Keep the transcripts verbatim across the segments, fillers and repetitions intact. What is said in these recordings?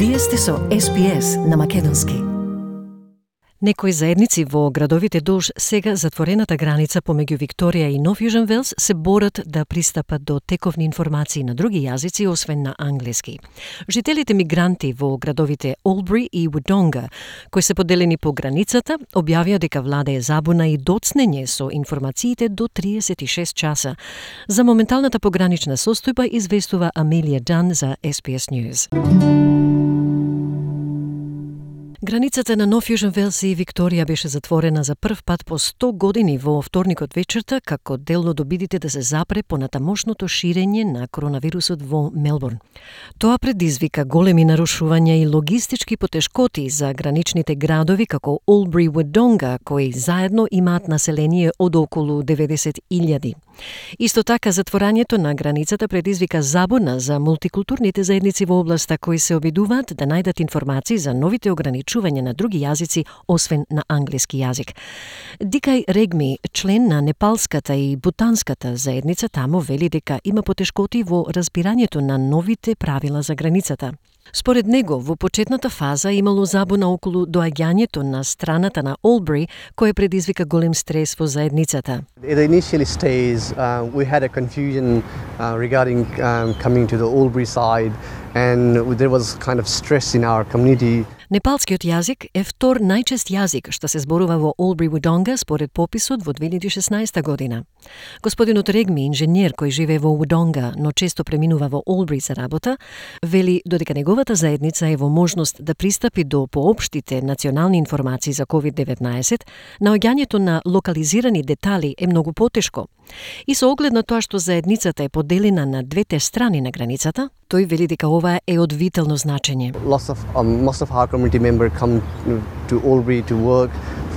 Вие сте со Ес Би Ес на македонски. Некои заедници во градовите долж сега затворената граница помеѓу Викторија и Нов Јужен Велс се борат да пристапат до тековни информации на други јазици освен на англиски. Жителите мигранти во градовите Олбри и Вудонга, кои се поделени по границата, објавија дека владее забуна и доцнење со информациите до триесет и шест часа. За моменталната погранична состојба известува Амелија Дан за Ес Би Ес News. Границата на Нов Јужен Велс и Викторија беше затворена за прв пат по сто години во вторникот вечерта како дел од обидите да се запре понатамошното ширење на коронавирусот во Мелбурн. Тоа предизвика големи нарушувања и логистички потешкоти за граничните градови како Олбри и Вудонга, кои заедно имаат население од околу деветдесет илјади. Исто така, затворањето на границата предизвика забуна за мултикултурните заедници во областа кои се обидуваат да најдат информации за новите ограничувања на други јазици, освен на англиски јазик. Дикај Регми, член на непалската и бутанската заедница таму, вели дека има потешкоти во разбирањето на новите правила за границата. Според него, во почетната фаза имало забуна околу доаѓањето на страната на Олбри, кој предизвика голем стрес во заедницата. In the initial stage, uh, we had a confusion uh, regarding um, coming to the Albury side, and there was kind of stress in our community. Непалскиот јазик е втор најчест јазик што се зборува во Олбри Вудонга според пописот во две илјади и шеснаесета година. Господинот Регми, инженер кој живее во Вудонга, но често преминува во Олбри за работа, вели додека неговата заедница е во можност да пристапи до поопштите национални информации за ковид деветнаесет, наоѓањето на локализирани детали е многу потешко. И со оглед на тоа што заедницата е поделена на двете страни на границата, тој вели дека ова е од витално значење. Lots of um, most of our community members come to Albury to work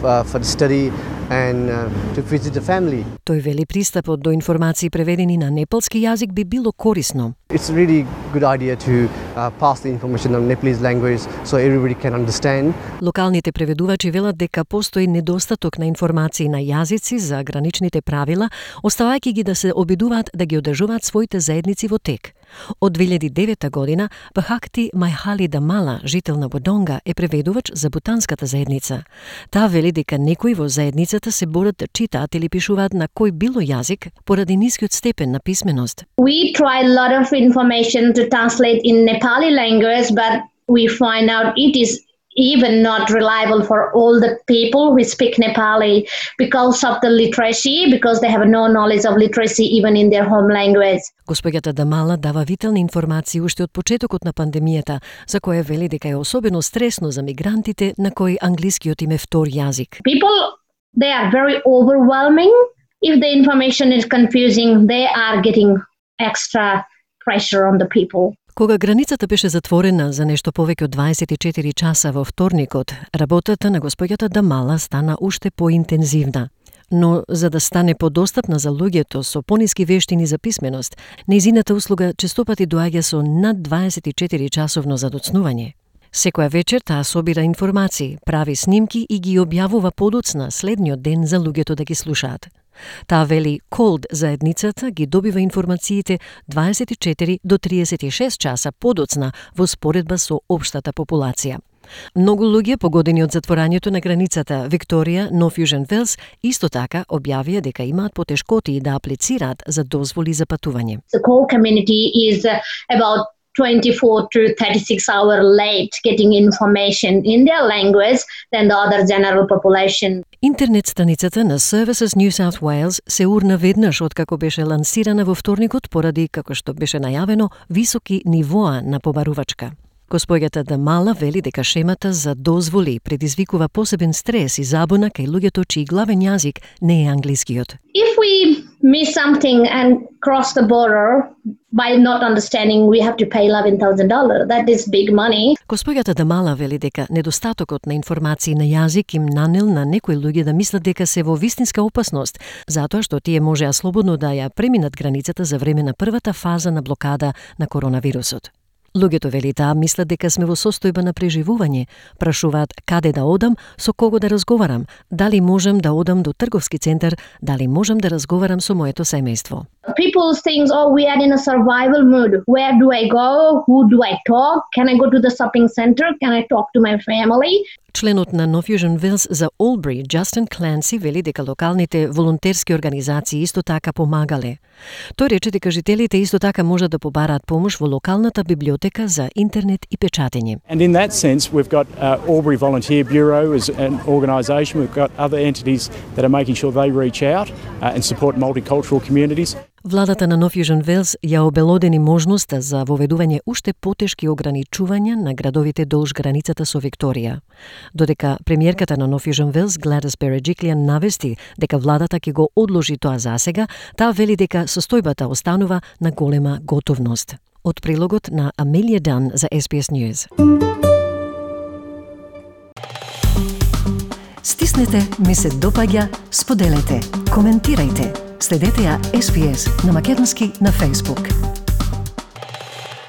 uh, for the study and uh, to visit the family. Тој вели пристапот до информации преведени на непалски јазик би било корисно. It's a really good idea to uh, pass the information on Nepalese language so everybody can understand. Локалните преведувачи велат дека постои недостаток на информации на јазици за граничните правила, оставајќи ги да се обидуваат да ги одржуваат своите заедници во тек. Од две илјади и девета година, Бахакти Мајхали Дамала, жител на Бодонга, е преведувач за бутанската заедница. Таа вели дека некои во заедницата се борат да читаат или пишуваат на кој било јазик поради нискиот степен на писменост. We try a lot of information to translate in Nepali language, but we find out it is even not reliable for all the people who speak Nepali because of the literacy, because they have no knowledge of literacy even in their home language. Госпоѓата Дамала дава витални информации уште од почетокот на пандемијата, за која вели дека е особено стресно за мигрантите на кои англискиот им е втор јазик. People, they are very overwhelming. If the information is confusing, they are getting extra pressure on the people. Кога границата беше затворена за нешто повеќе од дваесет и четири часа во вторникот, работата на госпоѓата Дамала стана уште поинтензивна. Но за да стане подостапна за луѓето со пониски вештини за писменост, нејзината услуга честопати доаѓа со над дваесет и четири часовно задоцнување. Секоја вечер таа собира информации, прави снимки и ги објавува подоцна следниот ден за луѓето да ги слушаат. Таа вели Колд заедницата ги добива информациите дваесет и четири до триесет и шест часа подоцна во споредба со општата популација. Многу луѓе погодени од затворањето на границата Викторија, Нов Јужен Велс, исто така објавија дека имаат потешкоти да аплицираат за дозволи за патување. The whole community is about twenty-four to thirty-six hour late getting information in their language than the other general population. Интернет страницата на Services New South Wales се урна веднаш откако беше лансирана во вторникот поради, како што беше најавено, високи нивоа на побарувачка. Госпоѓата Дамала вели дека шемата за дозволи предизвикува посебен стрес и забуна кај луѓето чиј главен јазик не е англискиот. If we miss something and cross the border by not understanding, we have to pay eleven thousand dollars. That is big money. Госпоѓата Дамала вели дека недостатокот на информации на јазик им нанел на некои луѓе да мислат дека се во вистинска опасност, затоа што тие можеа слободно да ја преминат границата за време на првата фаза на блокада на коронавирусот. Луѓето, вели таа, мислат дека сме во состојба на преживување, прашуваат каде да одам, со кого да разговарам, дали можам да одам до трговски центар, дали можам да разговарам со моето семејство. People think, oh, we are in a survival mood. Where do I go? Who do I talk? Can I go to the shopping center? Can I talk to my family? Членот на No Fusion Wales за Олбри, Джастин Кленси, вели дека локалните волонтерски организации исто така помагале. Тој рече дека жителите исто така можат да побараат помош во локалната библиотека за интернет и печатење. And in that sense, we've got uh, Albury Volunteer Bureau as an organisation. We've got other entities that are making sure they reach out uh, and support multicultural communities. Владата на No Fusion Wales ја обелодени можноста за воведување уште потешки ограничувања на градовите долж границата со Викторија. Додека премиерката на No Fusion Wales, Gladys Berejiklian, навести дека владата ќе го одложи тоа засега, таа вели дека состојбата останува на голема готовност. Од прилогот на Амелија Дан за Ес Би Ес News. Стиснете, ми се допаѓа, споделете, коментирајте. Следете ја Ес Би Ес на македонски на Facebook.